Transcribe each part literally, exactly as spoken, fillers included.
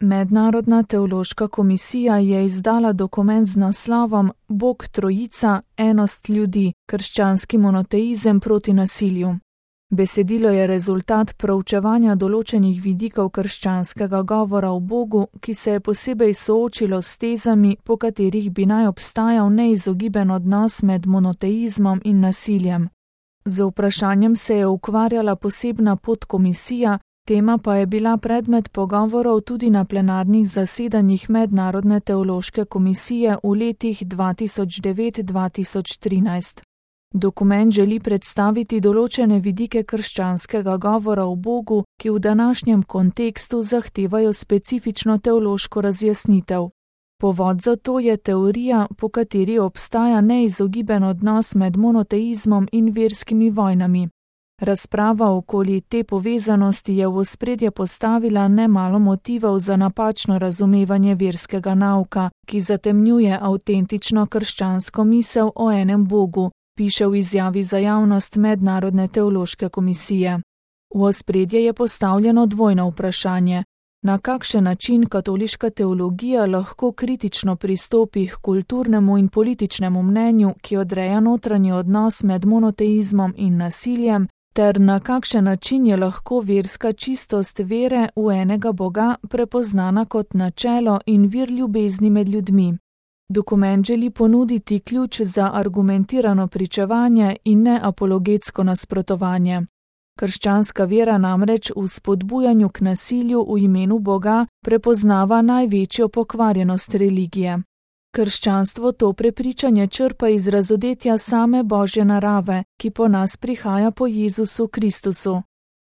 Mednarodna teološka komisija je izdala dokument z naslovom Bog Trojica, enost ljudi, krščanski monoteizem proti nasilju. Besedilo je rezultat proučevanja določenih vidikov krščanskega govora o Bogu, ki se je posebej soočilo s tezami, po katerih bi naj obstajal neizogiben odnos med monoteizmom in nasiljem. Z vprašanjem se je ukvarjala posebna podkomisija, tema pa je bila predmet pogovorov tudi na plenarnih zasedanjih Mednarodne teološke komisije v letih dva tisoč devet do dva tisoč trinajst. Dokument želi predstaviti določene vidike krščanskega govora o Bogu, ki v današnjem kontekstu zahtevajo specifično teološko razjasnitev. Povod za to je teorija, po kateri obstaja neizogiben odnos med monoteizmom in verskimi vojnami. Razprava okoli te povezanosti je v ospredje postavila nemalo motivov za napačno razumevanje verskega nauka, ki zatemnjuje avtentično krščansko misel o enem Bogu, piše v izjavi za javnost Mednarodne teološke komisije. V ospredje je postavljeno dvojno vprašanje: na kakšen način katoliška teologija lahko kritično pristopi k kulturnemu in političnemu mnenju, ki odreja notranji odnos med monoteizmom in nasiljem, ter na kakšen način je lahko verska čistost vere v enega Boga prepoznana kot načelo in vir ljubezni med ljudmi. Dokument želi ponuditi ključ za argumentirano pričevanje in ne apologetsko nasprotovanje. Krščanska vera namreč v spodbujanju k nasilju v imenu Boga prepoznava največjo pokvarjenost religije. Krščanstvo to prepričanje črpa iz razodetja same Božje narave, ki po nas prihaja po Jezusu Kristusu.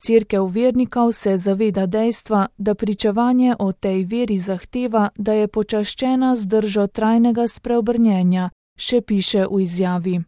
Cerkev vernikov se zaveda dejstva, da pričevanje o tej veri zahteva, da je počaščena z držo trajnega spreobrnjenja, še piše v izjavi.